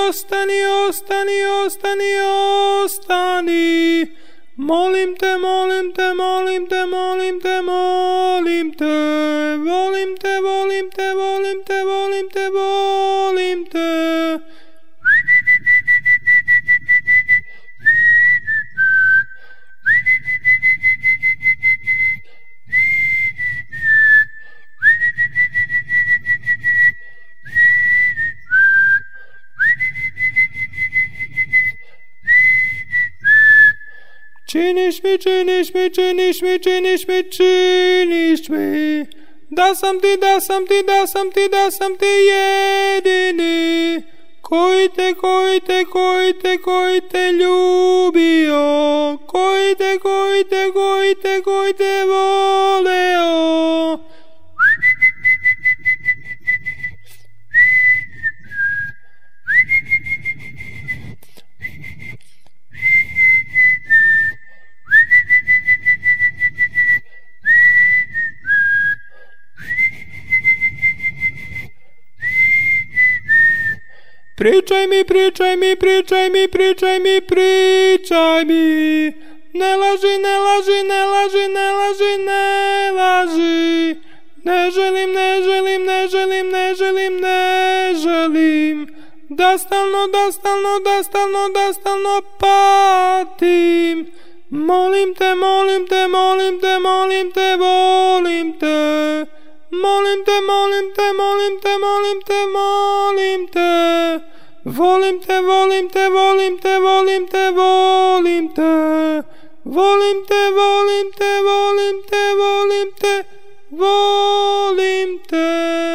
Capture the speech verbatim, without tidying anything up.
ostani, ostani, ostani, ostani. Molim te, molim te, molim te, molim te, molim te. Volim te, volim te, volim te, volim te, volim te. Činiš mi, činiš mi, činiš mi, činiš mi, činiš mi. Da sam ti, da sam ti, da sam ti, da sam ti jedini. Koji te, koji te, koji te, koji te ljubio. Koji te, koji te, koji te, koji te voleo. Pričaj mi, pričaj mi, pričaj mi, pričaj mi, pričaj mi. Ne laži, ne laži, ne laži, ne laži, ne laži. Ne želim, ne želim, ne želim, ne želim, ne želim. Da stalno, da stalno, da stalno, da stalno patim. Molim te, molim te, molim te, molim te, volim te. Molim te, molim te, molim te, molim te, molim te. Volim te, volim te, volim te, volim te, volim te. Volim te, volim te, volim te, volim te, volim te.